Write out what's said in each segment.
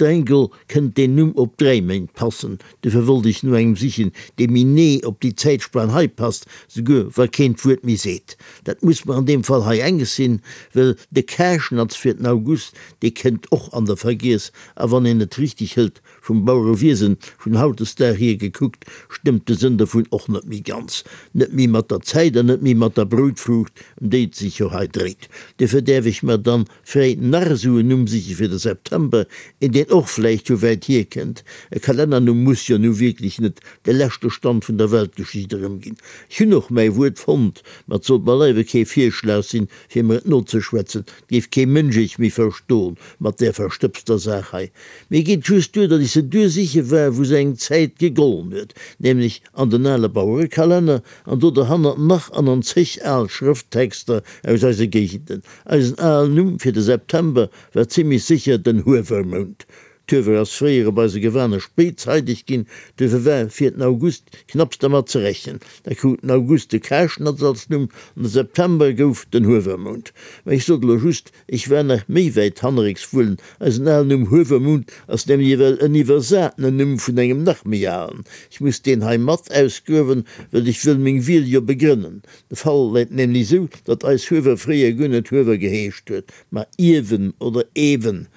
Streng geholl kënnt deen Numm op 3 Méint passen, dofir wollt ech no engem sichen, dee méi nee op déi Zäitspan hei passt, souguer wa keen d'Wuert méi seet. Dat muss mer an deem Fall hei enges sinn, well de Karschnatz fir den August, dee kënnt och an der Vergiess, a wann een et richteg hëlt, Vum Bauerewiesen vun hautdesdag hier gekuckt, stëmmt de Sënn dovun och net méi ganz. Net méi mat der Zäit an net méi mat der Broutfruucht, ëm déi et sech jo hei dréit. Duerfir däerf ech mer dann fräi nach esou en Numm siche fir de September, een deen och vläicht vu wäit hier kënnt. E Kalennernumm muss jo nu wierklech net de leschte Stand vun der Weltgeschicht erëmginn. Ech hunn och mäi Wuert fonnt, ma et sollt beileiwe kee Virschlag sinn, fir mer et nozeschwätzen. Et géif kee Mënsch iech méi verstoen mat där verstëbster Saach hei. Mir geet just duer, datt ech se duer siche war, wou se eng Zäit gegollen huet, nämlech an den ale Bauerekalenner an do derhannert nach an an zeg al Schrëfttexter aus eise Géigenden. Eisen alen Numm fir de September war zimlech sécher den Huewermount. D'Huewer ass fréier op eise Gewane spéitzeideg ginn, duerfir war fir den August knapps dermat ze rechnen. Da krut den August de Karschnatz als Numm an de September gouf den Huewermount. Mä ech sot elo just, Ech war nach méi wäit hannerécks wullen. Eisen alen Numm Huewermount ass nämlech ewell en iwwersatenen Numm vun engem nach méi alen. Ech muss deen hei mat ausgruewen, well ech wëll meng Wiel jo begrënnen. De Fall läit nämlech esou, datt eis Huewer fréier guer net Huewer geheescht huet, ma Iewen oder Ewen.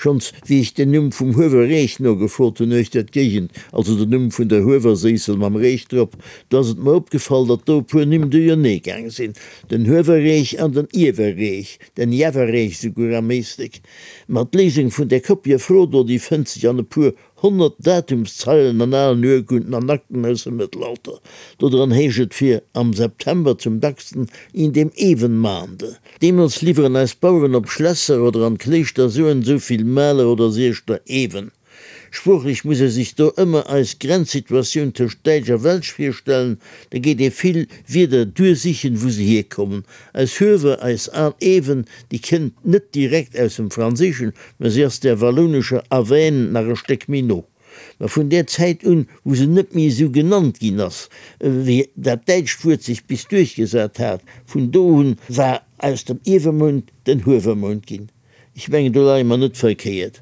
Schonns wéi ech den Numm vum Huewer Reech nogefrot hunn uechter d'Géigend, also den Numm vun der Huewerséissel mam Reech drop, do ass et mer opgefall, datt do e puer Nimm duerjernee gaang sinn, den Huewerreech an den Iewerreech, den Jewerreech souguer am Éislek. Ma d'Léisung vun där koppier Fro do, déi fënnt sech an e puer 100 Datumszeilen an alen Urkunden an Akten aus dem Mëttelalter. Dodran heescht et fir am September zum dacksten in dem Evenmaande. Deemools liwweren eis Baueren op Schlässer oder an d'Kléischter sou en sou vill Maler oder Sieschter Ewen. Sproochlech muss ee sech do ëmmer eis Grenzsituatioun tëscht Däitsch a Welsch virstellen, da geet ee vill Wierder duersichen, wou se hierkommen. Eis Huewer, eis al Ewen, déi kënnt net direkt aus dem Franséischen, mä se ass där wallounescher Aven nach e Stéck méi no. Mä vun där Zäit un, wou se net méi esou genannt ginn ass, wéi dat däitscht Wuert sech bis duerchgesat hat, vun do un war aus dem Iewemount den Huewermount ginn. Ech mengen, do leie mer net verkéiert.